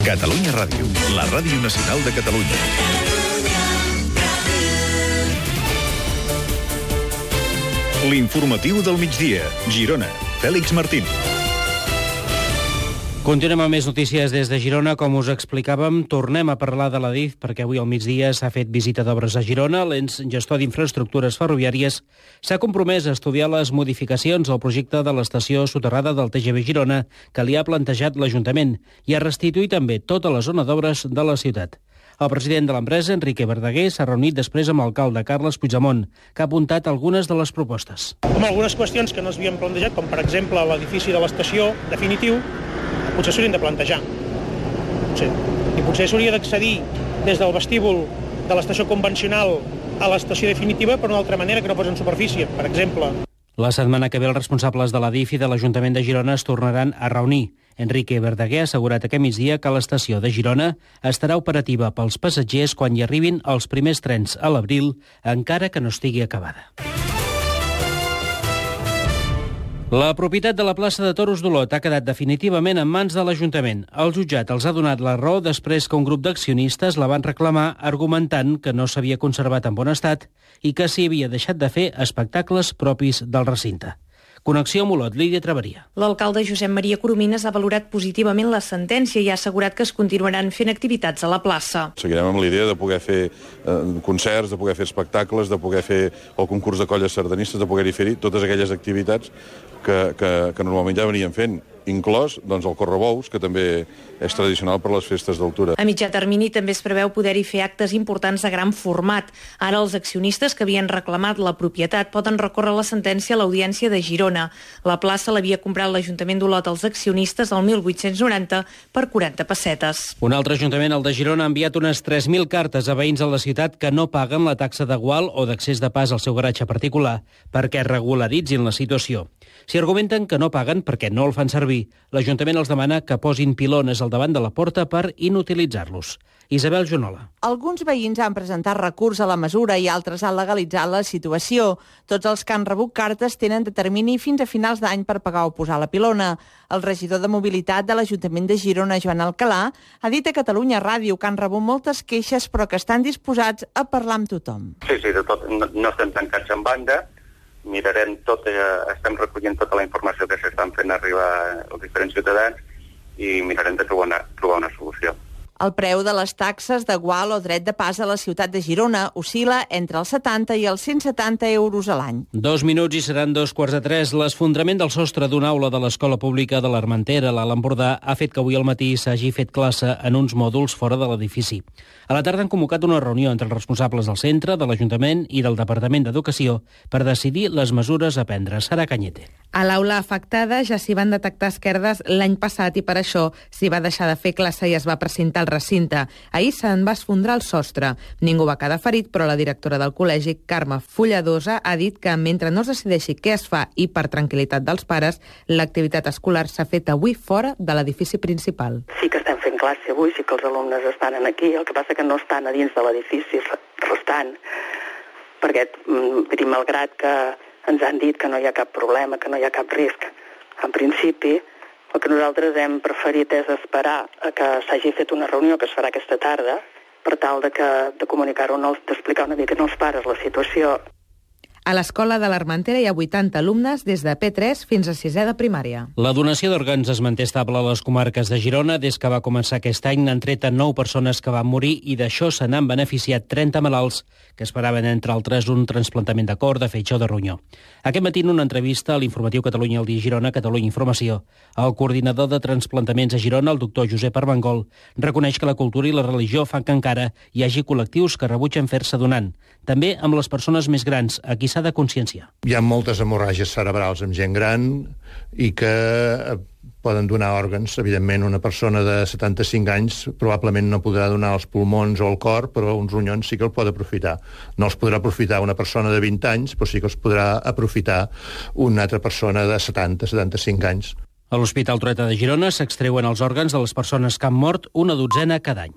Catalunya Ràdio, la ràdio nacional de Catalunya. L'informatiu del migdia, Girona. Fèlix Martín. Continuem amb més notícies des de Girona. Com us explicàvem, tornem a parlar de l'Adif perquè avui al migdia s'ha fet visita d'obres a Girona. L'ens gestor d'infraestructures ferroviàries s'ha compromès a estudiar les modificacions al projecte de l'estació soterrada del TGV Girona que li ha plantejat l'Ajuntament i a restituir també tota la zona d'obres de la ciutat. El president de l'empresa, Enrique Verdaguer, s'ha reunit després amb l'alcalde Carles Puigdemont, que ha apuntat algunes de les propostes. Amb algunes qüestions que no s'havien plantejat, com per exemple l'edifici de l'estació definitiu, potser s'haurien de plantejar. I potser s'hauria d'accedir des del vestíbul de l'estació convencional a l'estació definitiva per una altra manera que no fos en superfície, per exemple. La setmana que ve els responsables de l'Adif i de l'Ajuntament de Girona es tornaran a reunir. Enrique Verdaguer ha assegurat aquest migdia que l'estació de Girona estarà operativa pels passatgers quan hi arribin els primers trens a l'abril, encara que no estigui acabada. La propietat de la plaça de Toros d'Olot ha quedat definitivament en mans de l'Ajuntament. El jutjat els ha donat la raó després que un grup d'accionistes la van reclamar argumentant que no s'havia conservat en bon estat i que s'hi havia deixat de fer espectacles propis del recinte. Connexió amb Olot, Lídia Traveria. L'alcalde Josep Maria Coromines ha valorat positivament la sentència i ha assegurat que es continuaran fent activitats a la plaça. Seguirem amb la idea de poder fer concerts, de poder fer espectacles, de poder fer el concurs de colles sardanistes, de poder-hi fer totes aquelles activitats que normalment ja venien fent, inclòs el correbous, que també és tradicional per les festes d'altura. A mitjà termini també es preveu poder-hi fer actes importants de gran format. Ara els accionistes que havien reclamat la propietat poden recórrer la sentència a l'Audiència de Girona. La plaça l'havia comprat l'Ajuntament d'Olot als accionistes el 1890 per 40 pessetes. Un altre ajuntament, el de Girona, ha enviat unes 3.000 cartes a veïns de la ciutat que no paguen la taxa de gual o d'accés de pas al seu garatge particular perquè regularitzin la situació. Si argumenten que no paguen perquè no el fan servir, l'Ajuntament els demana que posin pilones al davant de la porta per inutilitzar-los. Isabel Jonola. Alguns veïns han presentat recurs a la mesura i altres han legalitzat la situació. Tots els que han rebut cartes tenen de termini fins a finals d'any per pagar o posar la pilona. El regidor de Mobilitat de l'Ajuntament de Girona, Joan Alcalà, ha dit a Catalunya Ràdio que han rebut moltes queixes però que estan disposats a parlar amb tothom. Sí, de tot, no estem tancats en banda. Mirarem tot, estem recollint tota la informació que s'estan fent arribar als diferents ciutadans i mirarem de trobar una solució. El preu de les taxes de gual o dret de pas a la ciutat de Girona oscil·la entre els 70 i els 170 euros a l'any. 2 minuts i seran 2:15. L'esfondrament del sostre d'una aula de l'Escola Pública de l'Armentera, a l'Alt Empordà, ha fet que avui al matí s'hagi fet classe en uns mòduls fora de l'edifici. A la tarda han convocat una reunió entre els responsables del centre, de l'Ajuntament i del Departament d'Educació per decidir les mesures a prendre. Sara Cañete. A l'aula afectada ja s'hi van detectar esquerdes l'any passat i per això s'hi va deixar de fer classe i es va precintar el recinte. Ahir se'n va esfondrar el sostre. Ningú va quedar ferit, però la directora del col·legi, Carme Fulladosa, ha dit que mentre no es decideixi què es fa i per tranquil·litat dels pares, l'activitat escolar s'ha fet avui fora de l'edifici principal. Sí que estem fent classe avui, sí que els alumnes estan aquí, el que passa que no estan a dins de l'edifici restant, perquè malgrat que ens han dit que no hi ha cap problema, que no hi ha cap risc, en principi el que nosaltres hem preferit és esperar a que s'hagi fet una reunió que es farà aquesta tarda per tal de comunicar-ho, d'explicar una mica als pares la situació. A l'escola de l'Armentera hi ha 80 alumnes des de P3 fins a 6è de primària. La donació d'òrgans es manté estable a les comarques de Girona. Des que va començar aquest any n'han tret 9 persones que van morir i d'això se n'han beneficiat 30 malalts que esperaven, entre altres, un trasplantament de cor, de fetge o de ronyó. Aquest matí, en una entrevista a l'informatiu Catalunya al dia Girona, Catalunya Informació, el coordinador de transplantaments a Girona, el doctor Josep Armengol, reconeix que la cultura i la religió fan que encara hi hagi col·lectius que rebutgen fer-se donant. També amb les persones més grans, a qui s'ha de conscienciar. Hi ha moltes hemorràgies cerebrals amb gent gran i que poden donar òrgans. Evidentment, una persona de 75 anys probablement no podrà donar els pulmons o el cor, però uns ronyons sí que el pot aprofitar. No els podrà aprofitar una persona de 20 anys, però sí que els podrà aprofitar una altra persona de 70-75 anys. A l'Hospital Trueta de Girona s'extreuen els òrgans de les persones que han mort una dotzena cada any.